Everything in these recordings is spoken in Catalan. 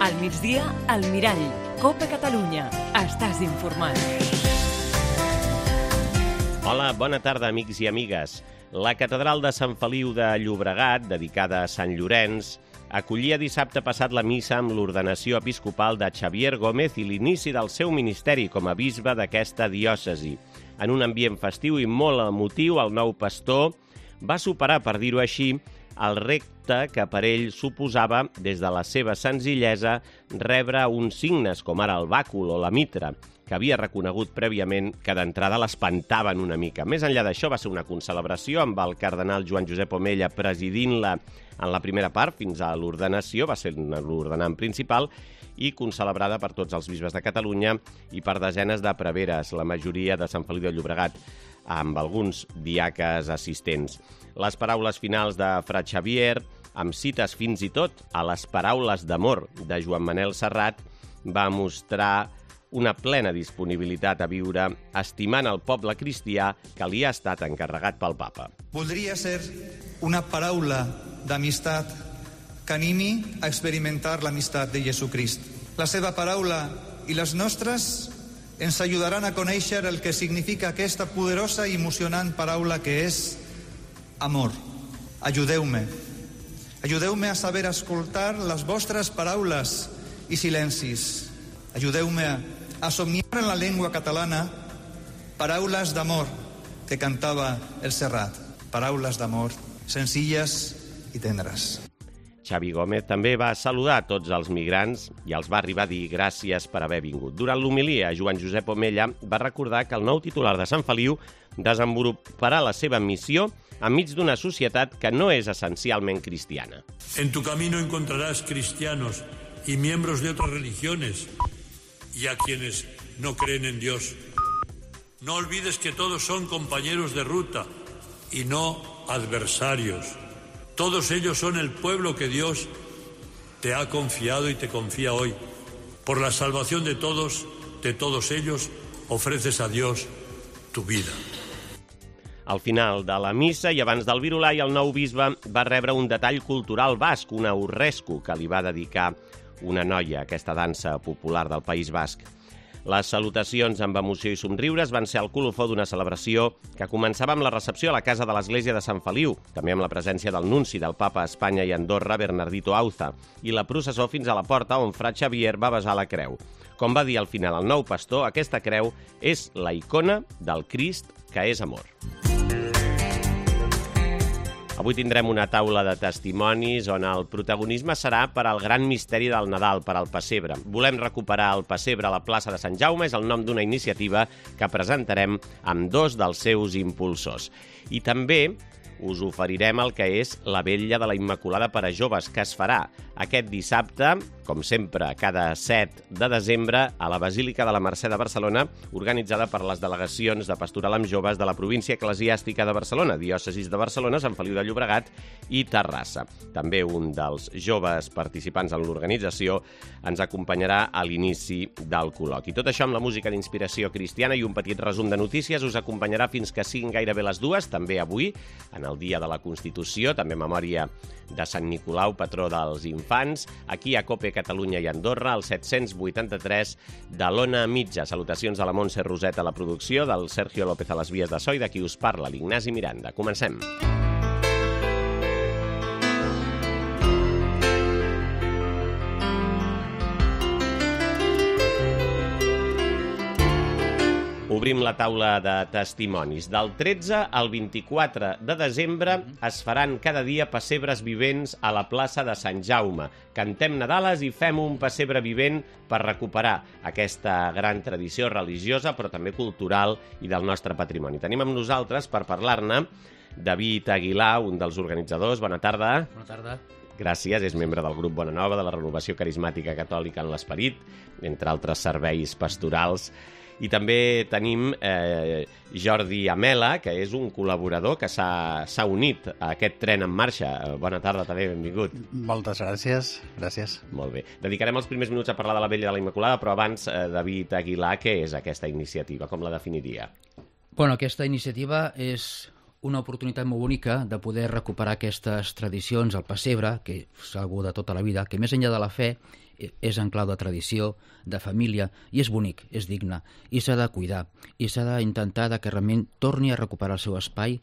Al migdia, al Mirall. Copa Catalunya. Estàs informat. Hola, bona tarda, amics i amigues. La catedral de Sant Feliu de Llobregat, dedicada a Sant Llorenç, acollia dissabte passat la missa amb l'ordenació episcopal de Xavier Gómez i l'inici del seu ministeri com a bisbe d'aquesta diòcesi. En un ambient festiu i molt emotiu, el nou pastor va superar, per dir-ho així, el repte que per ell suposava, des de la seva senzillesa, rebre uns signes com ara el bàcul o la mitra, que havia reconegut prèviament que d'entrada l'espantaven una mica. Més enllà d'això, va ser una concelebració amb el cardenal Joan Josep Omella presidint-la en la primera part, fins a l'ordenació, va ser l'ordenant principal, i concelebrada per tots els bisbes de Catalunya i per desenes de preveres, la majoria de Sant Feliu de Llobregat, amb alguns diaques assistents. Les paraules finals de Fra Xavier, amb cites fins i tot a les paraules d'amor de Joan Manel Serrat, va mostrar una plena disponibilitat a viure estimant el poble cristià que li ha estat encarregat pel papa. Voldria ser una paraula d'amistat que animi a experimentar l'amistat de Jesucrist. La seva paraula i les nostres ens ajudaran a conèixer el que significa aquesta poderosa i emocionant paraula que és amor. Ajudeu-me. Ajudeu-me a saber escoltar les vostres paraules i silencis. Ajudeu-me a somniar en la llengua catalana paraules d'amor que cantava el Serrat. Paraules d'amor senzilles i tendres. Xavi Gómez també va saludar a tots els migrants i els va arribar a dir gràcies per haver vingut. Durant l'homilia, Joan Josep Omella va recordar que el nou titular de Sant Feliu desenvoluparà la seva missió enmig d'una societat que no és essencialment cristiana. En tu camino encontrarás cristianos y miembros de otras religiones y a quienes no creen en Dios. No olvides que todos son compañeros de ruta y no adversarios. Todos ellos son el pueblo que Dios te ha confiado y te confía hoy. Por la salvación de todos ellos, ofreces a Dios tu vida. Al final de la missa i abans del virulai, el nou bisbe va rebre un detall cultural basc, una urrescu, que li va dedicar una noia, aquesta dansa popular del País Basc. Les salutacions amb emoció i somriures van ser el colofó d'una celebració que començava amb la recepció a la casa de l'església de Sant Feliu, també amb la presència del nunci del papa a Espanya i Andorra, Bernardito Auza, i la processó fins a la porta on Fra Xavier va besar la creu. Com va dir al final el nou pastor, aquesta creu és la icona del Crist que és amor. Avui tindrem una taula de testimonis on el protagonisme serà per al gran misteri del Nadal, per al pessebre. Volem recuperar el pessebre a la plaça de Sant Jaume, és el nom d'una iniciativa que presentarem amb dos dels seus impulsors. I també us oferirem el que és la Vetlla de la Immaculada per a joves, que es farà aquest dissabte, com sempre, cada 7 de desembre, a la Basílica de la Mercè de Barcelona, organitzada per les delegacions de Pastoral amb Joves de la província eclesiàstica de Barcelona, diòcesis de Barcelona, Sant Feliu de Llobregat i Terrassa. També un dels joves participants en l'organització ens acompanyarà a l'inici del col·loqui. Tot això amb la música d'inspiració cristiana i un petit resum de notícies us acompanyarà fins que siguin gairebé les 2, també avui, en el Dia de la Constitució, també memòria de Sant Nicolau, patró dels infants, aquí a Cope Catalunya i Andorra, al 783 de l'Ona Mitja. Salutacions a la Montse Roset a la producció, del Sergio López a les vies de so i de qui us parla, l'Ignasi Miranda. Comencem. Obrim la taula de testimonis. Del 13 al 24 de desembre es faran cada dia pessebres vivents a la plaça de Sant Jaume. Cantem Nadales i fem un pessebre vivent per recuperar aquesta gran tradició religiosa, però també cultural i del nostre patrimoni. Tenim amb nosaltres per parlar-ne David Aguilar, un dels organitzadors. Bona tarda. Bona tarda. Gràcies, és membre del grup Bona Nova, de la Renovació Carismàtica Catòlica en l'Esperit, entre altres serveis pastorals. I també tenim Jordi Amela, que és un col·laborador que s'ha unit a aquest tren en marxa. Bona tarda, també, benvingut. Moltes gràcies, gràcies. Molt bé. Dedicarem els primers minuts a parlar de la Vetlla de la Immaculada, però abans, David Aguilar, què és aquesta iniciativa? Com la definiria? Bueno, aquesta iniciativa és una oportunitat molt bonica de poder recuperar aquestes tradicions, el pessebre, que és algú de tota la vida, que més enllà de la fe és en clau de tradició, de família, i és bonic, és digne, i s'ha de cuidar, i s'ha d'intentar que realment torni a recuperar el seu espai,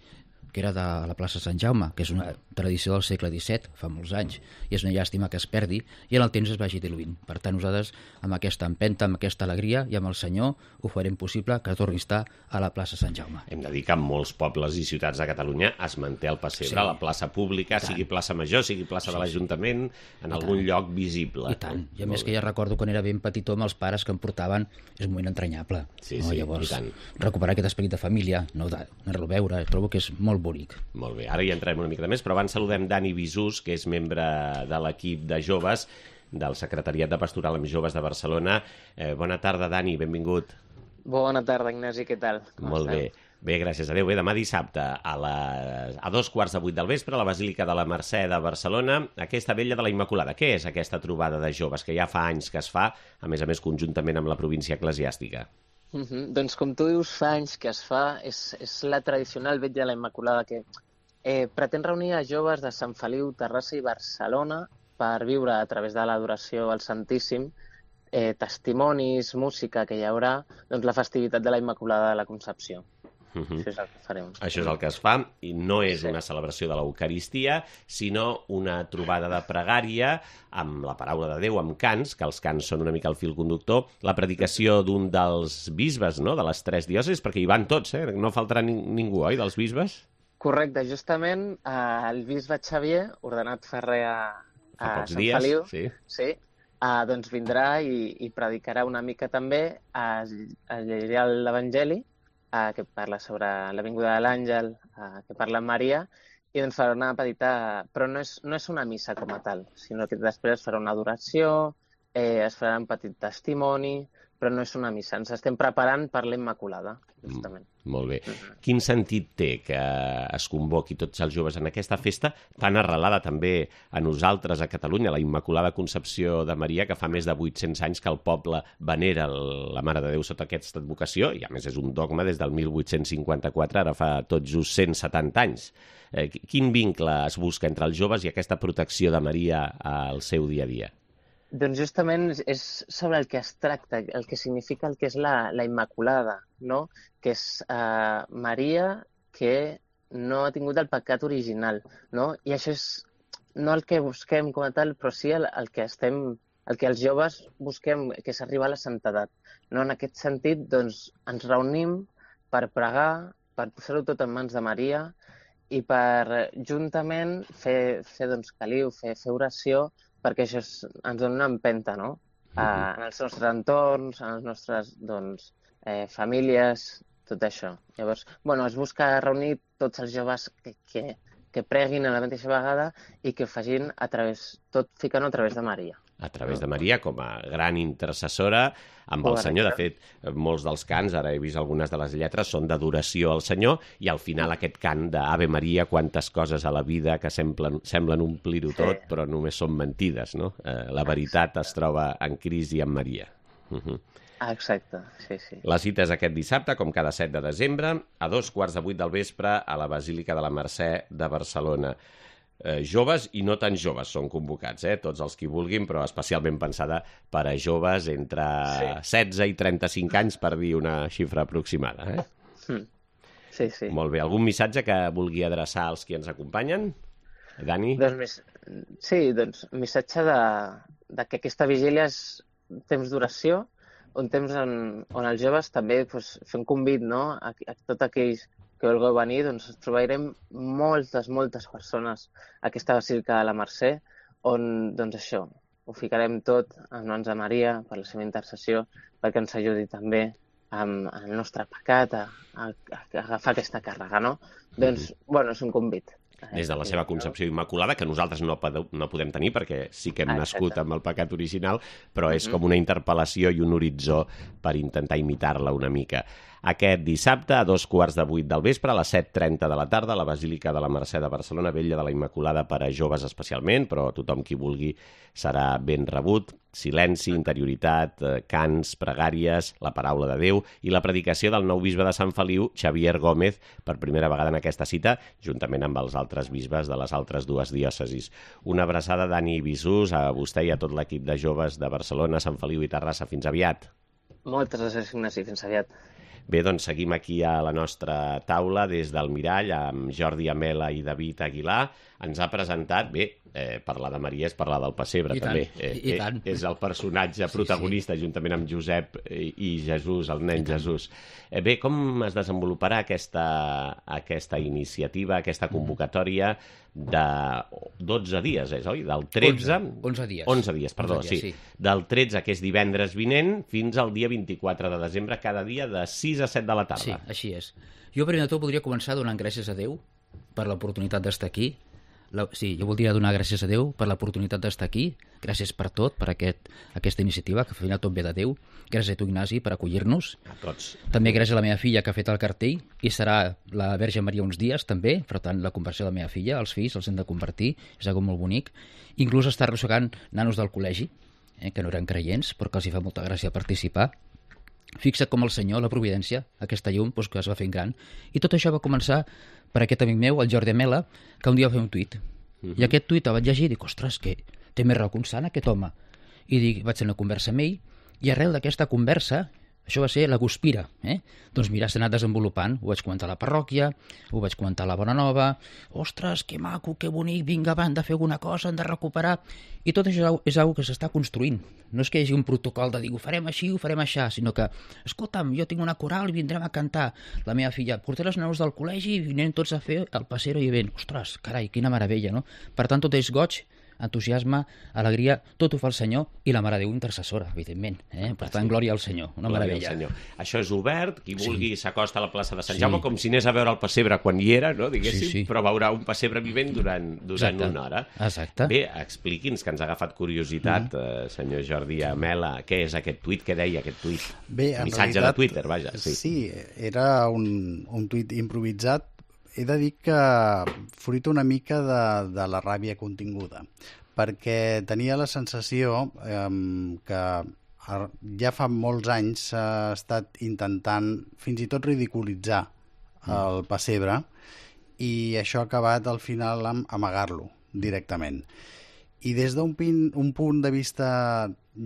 que era de la plaça Sant Jaume, que és una tradició del segle XVII, fa molts anys, i és una llàstima que es perdi i en el temps es vagi diluint. Per tant, nosaltres, amb aquesta empenta, amb aquesta alegria i amb el Senyor, ho farem possible que torni a estar a la plaça Sant Jaume. Hem de dir que en molts pobles i ciutats de Catalunya es manté el pessebre a la plaça pública, sigui plaça Major, sigui plaça de l'Ajuntament, en algun lloc visible. I tant. I a més que ja recordo quan era ben petitó amb els pares que em portaven, és un moment entranyable. Llavors, recuperar aquest esperit de família, anar-lo a veure, trobo que és molt bonic. Molt bé, ara hi entrem una mica de més, però abans saludem Dani Bisús, que és membre de l'equip de joves del Secretariat de Pastoral amb Joves de Barcelona. Bona tarda, Dani, benvingut. Bona tarda, Ignasi, què tal? Molt bé. Bé, gràcies a Déu. Bé, demà dissabte a 2:45 del vespre a la Basílica de la Mercè de Barcelona, aquesta Vetlla de la Immaculada. Què és aquesta trobada de joves que ja fa anys que es fa, a més conjuntament amb la província eclesiàstica? Doncs com tu dius, fa anys que es fa, és la tradicional Vetlla de la Immaculada que pretén reunir a joves de Sant Feliu, Terrassa i Barcelona per viure a través de l'adoració al Santíssim testimonis, música que hi haurà, doncs la festivitat de la Immaculada de la Concepció. Això és el que farem. Això és el que es fa, i no és una celebració de l'Eucaristia, sinó una trobada de pregària amb la paraula de Déu, amb cants, que els cants són una mica el fil conductor, la predicació d'un dels bisbes, no?, de les 3 diòcesis, perquè hi van tots, no faltarà ningú, oi, dels bisbes? Correcte, justament el bisbe Xavier, ordenat ferrer a Sant Feliu, doncs vindrà i predicarà una mica també, llegirà l'Evangeli, que parla sobre la vinguda de l'àngel, que parla amb Maria, i doncs farà una petita... Però no és una missa com a tal, sinó que després es farà una adoració, es farà un petit testimoni, però no és una missa. Ens estem preparant per la Immaculada, justament. Molt bé. Quin sentit té que es convoqui tots els joves en aquesta festa tan arrelada també a nosaltres a Catalunya, la Immaculada Concepció de Maria, que fa més de 800 anys que el poble venera la Mare de Déu sota aquesta advocació, i a més és un dogma des del 1854, ara fa tot just 170 anys. Quin vincle es busca entre els joves i aquesta protecció de Maria al seu dia a dia? Doncs justament és sobre el que es tracta, el que significa el que és la Immaculada, no? Que és Maria que no ha tingut el pecat original, no? I això és no el que busquem com a tal, però sí el que els joves busquem, que és arribar a la santedat. No? En aquest sentit, doncs, ens reunim per pregar, per posar-ho tot en mans de Maria i per juntament fer doncs, caliu, fer oració, perquè això ens dona una empenta, no? En els nostres entorns, en les nostres famílies, tot això. Llavors, es busca reunir tots els joves que preguin a la mateixa vegada i que ho facin tot ficant-ho a través de Maria. A través de Maria, com a gran intercessora amb el Senyor. De fet, molts dels cants, ara he vist algunes de les lletres, són d'adoració al Senyor, i al final aquest cant d'Ave Maria, quantes coses a la vida que semblen omplir-ho tot, però només són mentides, no? La veritat es troba en Crist i en Maria. Exacte, sí. La cita és aquest dissabte, com cada 7 de desembre, a 2:45 del vespre, a la Basílica de la Mercè de Barcelona. Joves i no tan joves són convocats, tots els que vulguin, però especialment pensada per a joves entre 16 i 35 anys, per dir una xifra aproximada. Sí. Molt bé. Algun missatge que vulgui adreçar als qui ens acompanyen? Dani? Doncs missatge de que aquesta vigília és temps d'oració, un temps on els joves també fer un convit, no? A tots aquells que vulgueu venir, doncs ens trobarem moltes persones a aquesta Basílica de la Mercè, on, doncs això, ho ficarem tot en mans de Maria per la seva intercessió, perquè ens ajudi també amb el nostre pecat a agafar aquesta càrrega, no? Doncs, és un convit. Des de la seva concepció immaculada, que nosaltres no podem tenir, perquè sí que hem nascut amb el pecat original, però és com una interpel·lació i un horitzó per intentar imitar-la una mica. aquest dissabte a 7:15 del vespre, a les 7:30 de la tarda, a la Basílica de la Mercè de Barcelona, Vella de la Immaculada per a joves especialment, però tothom qui vulgui serà ben rebut. Silenci, interioritat, cants, pregàries, la paraula de Déu i la predicació del nou bisbe de Sant Feliu, Xavier Gómez, per primera vegada en aquesta cita, juntament amb els altres bisbes de les altres dues diòcesis. Una abraçada, Dani Bisús, a vostè i a tot l'equip de joves de Barcelona, Sant Feliu i Terrassa. Fins aviat. Moltes gràcies, Ignasi. Fins aviat. Bé, doncs seguim aquí a la nostra taula des del Mirall amb Jordi Amela i David Aguilar. Ens ha presentat, bé, parlar de Maria és parlar del pessebre, I també. I tant. És el personatge protagonista, juntament amb Josep i Jesús, el nen Jesús. Bé, com es desenvoluparà aquesta iniciativa, aquesta convocatòria de 12 dies, oi? Del 13... 11 dies. 11 dies, perdó, 11 dies, sí. Del 13, que és divendres vinent, fins al dia 24 de desembre, cada dia de 6 a 7 de la tarda. Sí, així és. Jo primer de tot voldria començar donant gràcies a Déu per l'oportunitat d'estar aquí. Sí, jo voldria donar gràcies a Déu per l'oportunitat d'estar aquí. Gràcies per tot, per aquesta iniciativa, que al final tot ve de Déu. Gràcies a tu, Ignasi, per acollir-nos. A tots. També gràcies a la meva filla, que ha fet el cartell, i serà la Verge Maria uns dies, també. Per tant, la conversió de la meva filla, els fills, els hem de convertir. És algo molt bonic. Inclús està arrossegant nanos del col·legi, que no eren creients, però que els hi fa molta gràcia participar. Fixa't com el Senyor, la Providència, aquesta llum, que es va fent gran. I tot això va començar per aquest amic meu, el Jordi Amela, que un dia va fer un tuit. I aquest tuit el vaig llegir i dic, ostres, que té més raó que un sant, aquest home. I dic, vaig fer una conversa amb ell, i arrel d'aquesta conversa, això va ser la guspira, doncs mira, s'ha anat desenvolupant. Ho vaig comentar a la parròquia, ho vaig comentar a la Bona Nova, ostres, que maco, que bonic, vinga, va, hem de fer alguna cosa, hem de recuperar. I tot això és una que s'està construint. No és que hi hagi un protocol de dir, ho farem així, ho farem aixà, sinó que, escolta'm, jo tinc una coral i vindrem a cantar. La meva filla, portaré els nanos del col·legi i vindrem tots a fer el passero i ben. Ostres, carai, quina meravella, no? Per tant, tot és goig, entusiasme, alegria, tot ho fa el Senyor i la Mare de Déu intercessora, evidentment. Per tant, glòria al Senyor, una meravella. Això és obert, qui vulgui s'acosta a la plaça de Sant Jaume, com si anés a veure el pessebre quan hi era, no, diguéssim, però veurà un pessebre vivent durant una hora. Exacte. Bé, expliqui'ns, que ens ha agafat curiositat, senyor Jordi Amela, què és aquest tuit, què deia aquest tuit? Missatge de Twitter, vaja. Sí, era un tuit improvisat. He de dir que fruit una mica de la ràbia continguda, perquè tenia la sensació que ja fa molts anys s'ha estat intentant fins i tot ridiculitzar el pessebre i això ha acabat al final amb amagar-lo directament. I des d'un punt de vista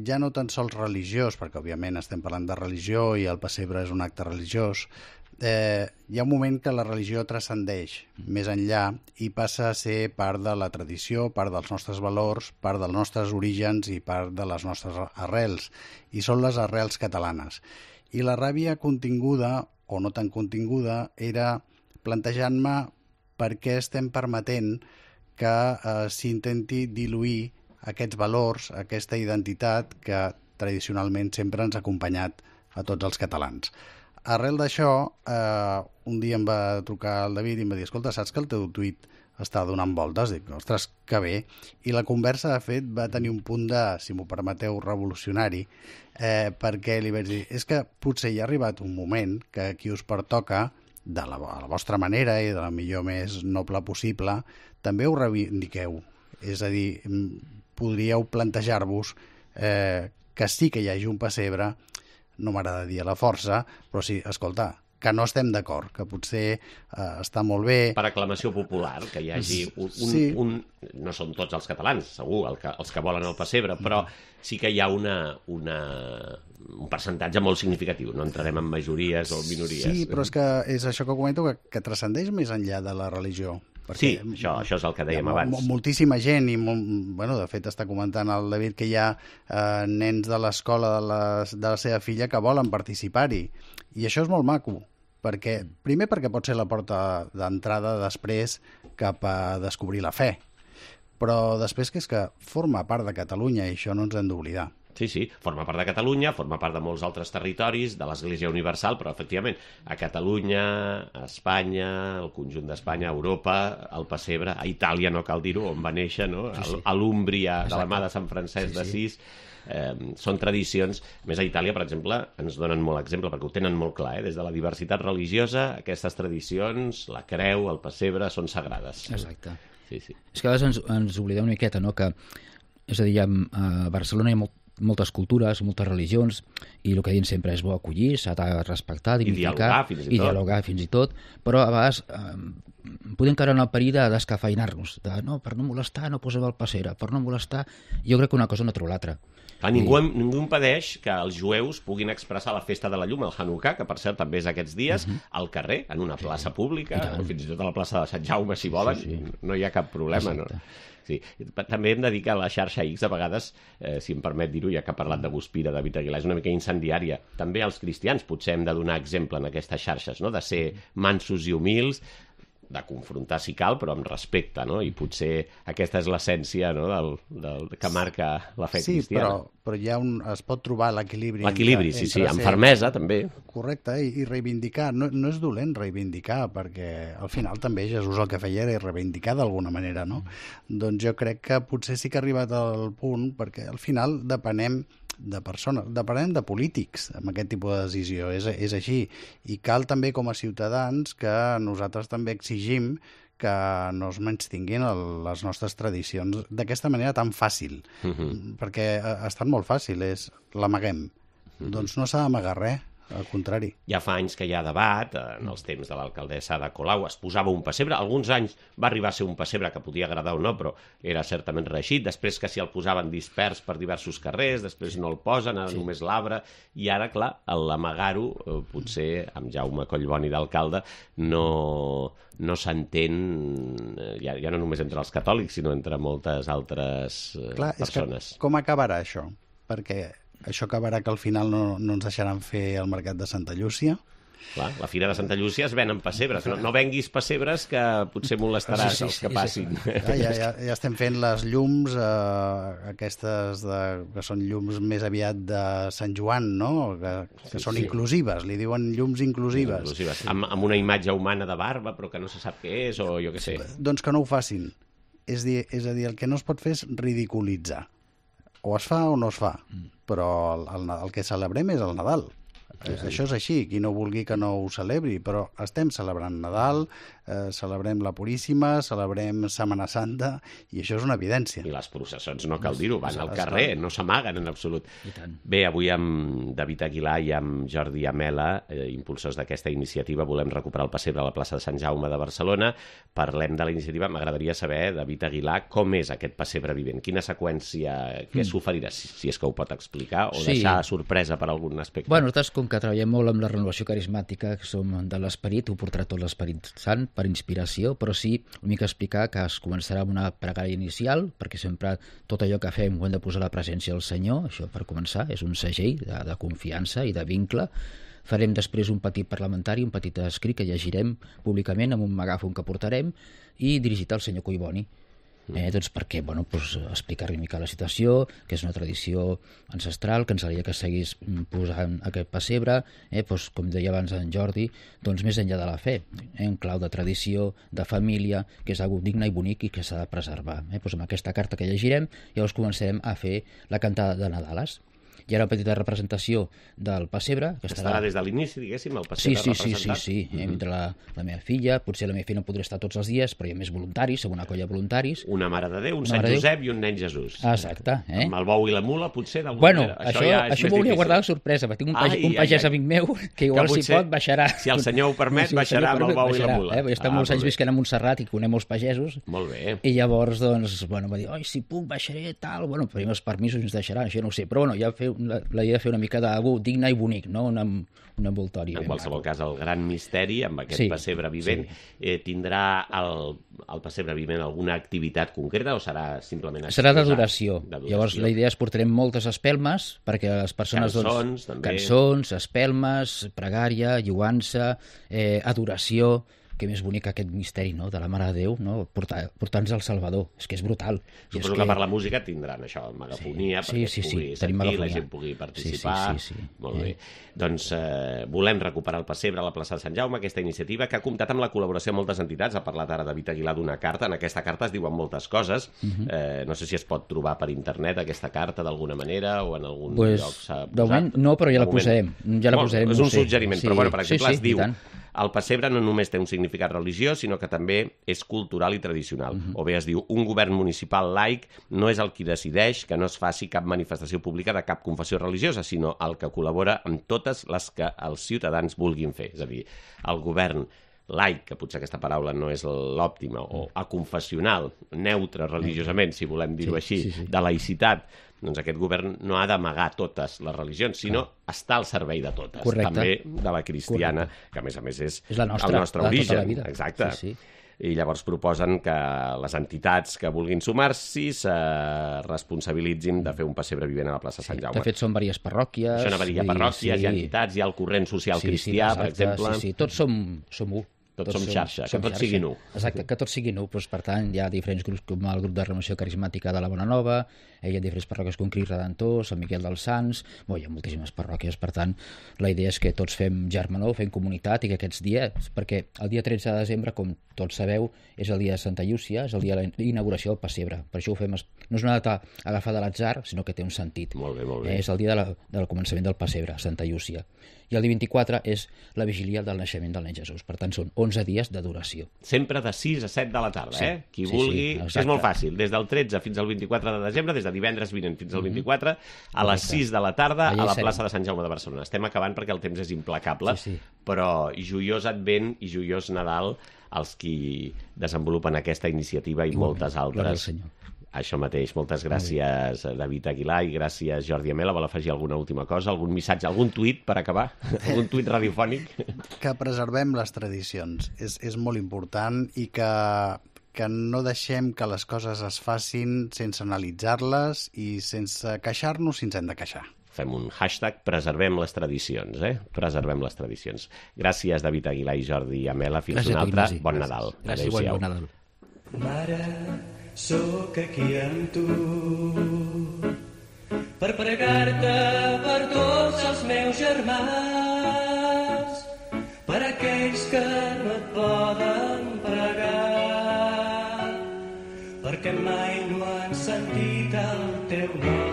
ja no tan sols religiós, perquè òbviament estem parlant de religió i el pessebre és un acte religiós, hi ha un moment que la religió transcendeix més enllà i passa a ser part de la tradició, part dels nostres valors, part dels nostres orígens i part de les nostres arrels, i són les arrels catalanes. I la ràbia continguda, o no tan continguda, era plantejant-me per què estem permetent que s'intenti diluir aquests valors, aquesta identitat que tradicionalment sempre ens ha acompanyat a tots els catalans. Arrel d'això, un dia em va trucar el David i em va dir, escolta, saps que el teu tuit està donant voltes? Dic, ostres, que bé. I la conversa, de fet, va tenir un punt de, si m'ho permeteu, revolucionari, perquè li vaig dir, és que potser hi ha arribat un moment que qui us pertoca, de la vostra manera i de la millor més noble possible, també ho reivindiqueu. És a dir, podríeu plantejar-vos que sí que hi hagi un pessebre, no m'agrada dir a la força, però sí, escolta, que no estem d'acord, que potser està molt bé... Per aclamació popular, que hi hagi un... No són tots els catalans, segur, els que volen el pessebre, però sí que hi ha un percentatge molt significatiu. No entrarem en majories o minories. Sí, però és que és això que comento, que transcendeix més enllà de la religió. Sí, això és el que dèiem abans. Moltíssima gent, i de fet està comentant el David que hi ha nens de l'escola de la seva filla que volen participar-hi. I això és molt maco, primer perquè pot ser la porta d'entrada després cap a descobrir la fe, però després que és que forma part de Catalunya i això no ens hem d'oblidar. Sí, sí, forma part de Catalunya, forma part de molts altres territoris, de l'Església Universal, però efectivament a Catalunya, a Espanya, al conjunt d'Espanya, a Europa, al pessebre, a Itàlia, no cal dir-ho, on va néixer, no? A l'Úmbria, de la mà de Sant Francesc d'Assís. Són tradicions. Més a Itàlia, per exemple, ens donen molt exemple, perquè ho tenen molt clar, des de la diversitat religiosa, aquestes tradicions, la creu, el pessebre, són sagrades. Exacte. Sí, sí. És que a vegades ens oblidem una miqueta, no?, que, és a dir, a Barcelona hi ha moltes cultures, moltes religions, i el que diuen sempre és bo acollir, s'ha de respectar, dignificar, i dialogar fins i tot, però a vegades podem caure en el perill de descafeinar-nos, de no, per no molestar no posem el pessebre, per no molestar, jo crec que una cosa no treu l'altra. Ningú impedeix que els jueus puguin expressar la festa de la llum, el Hanukkà, que per cert també és aquests dies, al carrer, en una plaça pública, o fins i tot a la plaça de Sant Jaume, si volen, no hi ha cap problema, no? Sí. També hem de dir que la xarxa X, a vegades, si em permet dir-ho, ja que ha parlat de Guspira, David Aguilar, és una mica incendiària. També els cristians potser hem de donar exemple en aquestes xarxes, no?, de ser mansos i humils, de confrontar si cal, però amb respecte, no? I potser aquesta és l'essència, no?, del que marca la fe cristiana. Sí, però hi ha es pot trobar l'equilibri. L'equilibri, sí, amb fermesa, també. Correcte, i reivindicar. No és dolent reivindicar, perquè al final també Jesús el que feia era reivindicar d'alguna manera, no? Doncs jo crec que potser sí que ha arribat al punt, perquè al final depenem de persones, depenem de polítics amb aquest tipus de decisió, és així, i cal també com a ciutadans que nosaltres també exigim que no es menystinguin les nostres tradicions d'aquesta manera tan fàcil, perquè ha estat molt fàcil, l'amaguem. Doncs no s'ha d'amagar res, al contrari. Ja fa anys que hi ha debat, en els temps de l'alcaldessa Ada Colau es posava un pessebre, alguns anys va arribar a ser un pessebre que podia agradar o no, però era certament reeixit, després que s'hi el posaven dispers per diversos carrers, després no el posen, ara només l'arbre, i ara, clar, l'amagar-ho, potser amb Jaume Collboni d'alcalde, no s'entén, ja no només entre els catòlics, sinó entre moltes altres persones. És que com acabarà això? Perquè això acabarà que al final no ens deixaran fer el mercat de Santa Llúcia. Clar, la Fira de Santa Llúcia es venen pessebres. No venguis pessebres que potser molestaràs els que passin. Ja estem fent les llums, aquestes que són llums més aviat de Sant Joan, no? Que són inclusives, li diuen llums inclusives. Amb una imatge humana de barba, però que no se sap què és, o jo què sé. Doncs que no ho facin. És a dir, el que no es pot fer és ridiculitzar. O es fa o no es fa, però el que celebrem és el Nadal. Això és així, qui no vulgui que no ho celebri, però estem celebrant Nadal, celebrem la Puríssima, celebrem Setmana Santa, i això és una evidència. I les processons, no cal dir-ho, van al carrer, no s'amaguen en absolut. Bé, avui amb David Aguilar i amb Jordi Amela, impulsors d'aquesta iniciativa, volem recuperar el pessebre a la plaça de Sant Jaume de Barcelona. Parlem de la iniciativa. M'agradaria saber, David Aguilar, com és aquest pessebre vivent? Quina seqüència, què s'oferirà, si és que ho pot explicar, o deixar sorpresa per algun aspecte? Bueno, nosaltres, com que treballem molt amb la renovació carismàtica, que som de l'Esperit, ho portarà tot l'Esperit Sant per inspiració, però sí una mica explicar que es començarà amb una pregària inicial, perquè sempre tot allò que fem ho hem de posar a la presència del Senyor, això per començar, és un segell de confiança i de vincle. Farem després un petit parlamentari, un petit escrit que llegirem públicament amb un megàfon que portarem i dirigit al senyor Collboni. Doncs perquè, explicar-li una mica la situació, que és una tradició ancestral, que ens agradaria que seguís posant aquest pessebre, com deia abans en Jordi, doncs més enllà de la fe, en clau de tradició, de família, que és algo digne i bonic i que s'ha de preservar. Amb aquesta carta que llegirem, llavors començarem a fer la cantada de Nadales. Hi ha una petita representació del pessebre. Que estarà des de l'inici, diguéssim, el pessebre representat. Sí. Entre la meva filla, potser la meva filla no podrà estar tots els dies, però hi ha més voluntaris, una colla de voluntaris. Una Mare de Déu, un Sant Josep i un nen Jesús. Exacte. Amb el bou i la mula, potser, d'alguna manera. Això m'ho hauria guardat la sorpresa, perquè tinc un pagès amic meu que igual, si pot, baixarà. Si el senyor ho permet, baixarà amb el bou i la mula. Jo estic molts anys visquent a Montserrat i conec molts pagesos. Molt bé. I llavors, va dir, si puc, baixaré, tal. Tenim els permisos i ens deixaran, això no ho sé. Però ja la idea de fer una mica d'algú digne i bonic, no? Un envoltori. En qualsevol cas, el gran misteri amb aquest pessebre vivent, tindrà el pessebre vivent alguna activitat concreta o serà simplement... Serà d'adoració. Llavors la idea és portarem moltes espelmes perquè les persones... Cançons, també. Cançons, espelmes, pregària, lloança, adoració... que més bonic aquest misteri, no?, de la Mare de Déu, no?, portant-nos al Salvador. És que és brutal. Suposo que per la música tindran això, megafonia, perquè es pugui sentir, la gent pugui participar. Sí. Molt bé. Doncs volem recuperar el pessebre a la plaça de Sant Jaume, aquesta iniciativa que ha comptat amb la col·laboració de moltes entitats. Ha parlat ara David Aguilar d'una carta. En aquesta carta es diuen moltes coses. No sé si es pot trobar per internet aquesta carta d'alguna manera o en algun lloc s'ha posat. De moment no, però ja la posarem. És un suggeriment, però per exemple es diu: el pessebre no només té un significat religiós, sinó que també és cultural i tradicional. O bé es diu: un govern municipal laic no és el qui decideix que no es faci cap manifestació pública de cap confessió religiosa, sinó el que col·labora amb totes les que els ciutadans vulguin fer. És a dir, el govern laic, que potser aquesta paraula no és l'òptima, o aconfessional, neutre religiosament, si volem dir-ho així, de laïcitat, doncs aquest govern no ha d'amagar totes les religions, sinó estar al servei de totes. Correcte. També de la cristiana, que a més és el nostre origen. Tota la vida. Exacte. I llavors proposen que les entitats que vulguin sumar-s'hi se responsabilitzin de fer un pessebre vivent a la plaça Sant Jaume. De fet, són diverses parròquies. Això anava a dir, hi ha parròquies, hi ha entitats, hi ha el corrent social cristià, per exemple. Sí, tots som u. Tots som xarxa, que tots siguin u. Exacte, que tots siguin u. Per tant, hi ha diferents grups, com el grup de renovació carismàtica de la Bona Nova, hi ha diferents parròquies com Crist Redentor, Sant Miquel dels Sants, hi ha moltíssimes parròquies. Per tant, la idea és que tots fem germanor, fem comunitat, i que aquests dies, perquè el dia 13 de desembre, com tots sabeu, és el dia de Santa Llúcia, és el dia de la inauguració del pessebre. Per això ho fem, no és una data agafada a l'atzar, sinó que té un sentit. Molt bé, molt bé. És el dia del començament del pessebre, Santa Llúcia. I el dia 24 és la vigília del naixement del nen Jesús. Per tant, són 11 dies de duració. Sempre de 6 a 7 de la tarda, Qui vulgui... És molt fàcil, des del 13 fins al 24 de desembre, des de divendres vinent fins al 24, a les 6 de la tarda, a la plaça de Sant Jaume de Barcelona. Estem acabant perquè el temps és implacable, però joiós Advent i joiós Nadal als qui desenvolupen aquesta iniciativa i moltes altres. Això mateix. Moltes gràcies, David Aguilar, i gràcies, Jordi Amela. Vol afegir alguna última cosa, algun missatge, algun tuit per acabar? Algun tuit radiofònic? Que preservem les tradicions. És molt important, i que no deixem que les coses es facin sense analitzar-les i sense queixar-nos si ens hem de queixar. Fem un hashtag, preservem les tradicions, Preservem les tradicions. Gràcies, David Aguilar i Jordi Amela. Fins un altre. Bon Nadal. Gràcies, bon Nadal. Mare, sóc aquí amb tu per pregar-te per tots els meus germans, per aquells que no et poden pregar, perquè mai no han sentit el teu nom.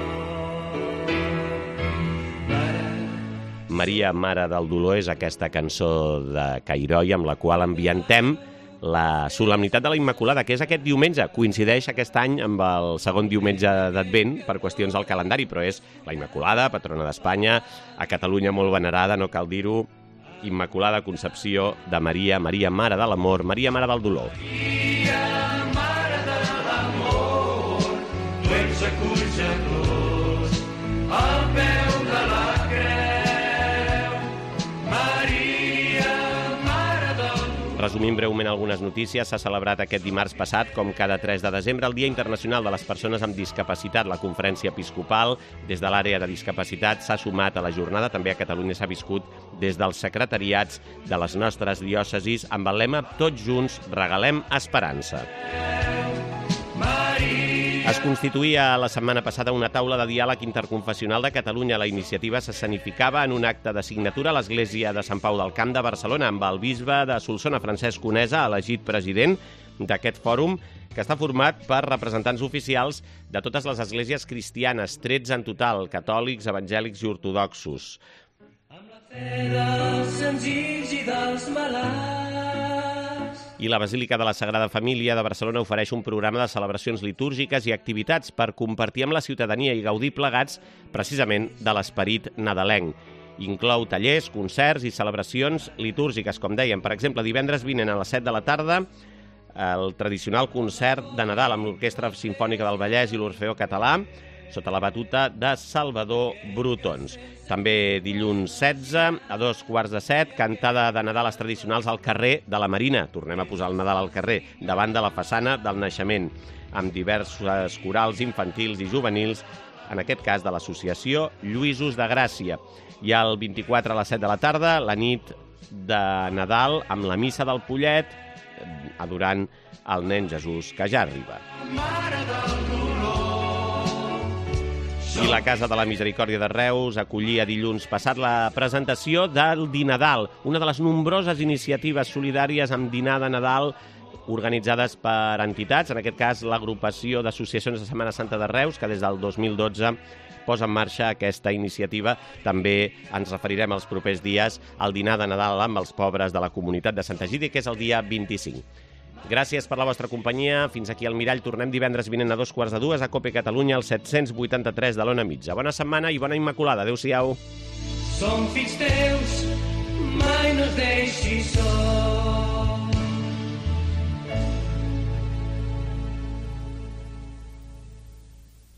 Maria, Mare del Dolor, és aquesta cançó de Cairoi amb la qual ambiantem la solemnitat de la Immaculada, que és aquest diumenge. Coincideix aquest any amb el segon diumenge d'Advent per qüestions del calendari, però és la Immaculada, patrona d'Espanya, a Catalunya molt venerada, no cal dir-ho, Immaculada Concepció de Maria, Maria, Mare de l'Amor, Maria, Mare del Dolor. Maria, Mare de l'Amor, tu ets acollidors al peu de la creu. Maria, Mare del Dolor. Resumint breument algunes notícies, s'ha celebrat aquest dimarts passat, com cada 3 de desembre, el Dia Internacional de les Persones amb Discapacitat. La Conferència Episcopal, des de l'àrea de discapacitat, s'ha sumat a la jornada. També a Catalunya s'ha viscut des dels secretariats de les nostres diòcesis amb el lema Tots junts regalem esperança. Es constituïa la setmana passada una taula de diàleg interconfessional de Catalunya. La iniciativa s'escenificava en un acte de signatura a l'església de Sant Pau del Camp de Barcelona, amb el bisbe de Solsona, Francesc Conesa, elegit president d'aquest fòrum, que està format per representants oficials de totes les esglésies cristianes, 13 en total, catòlics, evangèlics i ortodoxos. Amb la fe dels senzills i dels malalts. I la Basílica de la Sagrada Família de Barcelona ofereix un programa de celebracions litúrgiques i activitats per compartir amb la ciutadania i gaudir plegats precisament de l'esperit nadalenc. Inclou tallers, concerts i celebracions litúrgiques, com dèiem. Per exemple, divendres vinent a les 7 de la tarda, el tradicional concert de Nadal amb l'Orquestra Simfònica del Vallès i l'Orfeó Català, sota la batuta de Salvador Brutons. També dilluns 16, a 2:15, cantada de Nadales tradicionals al carrer de la Marina. Tornem a posar el Nadal al carrer, davant de la façana del naixement, amb diversos corals infantils i juvenils, en aquest cas de l'associació Lluïsos de Gràcia. I el 24 a les 7 de la tarda, la nit de Nadal amb la missa del Pollet, adorant el nen Jesús, que ja arriba. I la Casa de la Misericòrdia de Reus acollia dilluns passat la presentació del Dinadal, una de les nombroses iniciatives solidàries amb dinar de Nadal organitzades per entitats, en aquest cas l'agrupació d'associacions de Setmana Santa de Reus, que des del 2012 posa en marxa aquesta iniciativa. També ens referirem els propers dies al dinar de Nadal amb els pobres de la comunitat de Sant Egidi, que és el dia 25. Gràcies per la vostra companyia. Fins aquí al Mirall. Tornem divendres vinent a 2:45 a COPE Catalunya, al 783 de l'Ona Mitja. Bona setmana i bona Immaculada. Adéu-siau. Som fills teus, mai no es deixis sols.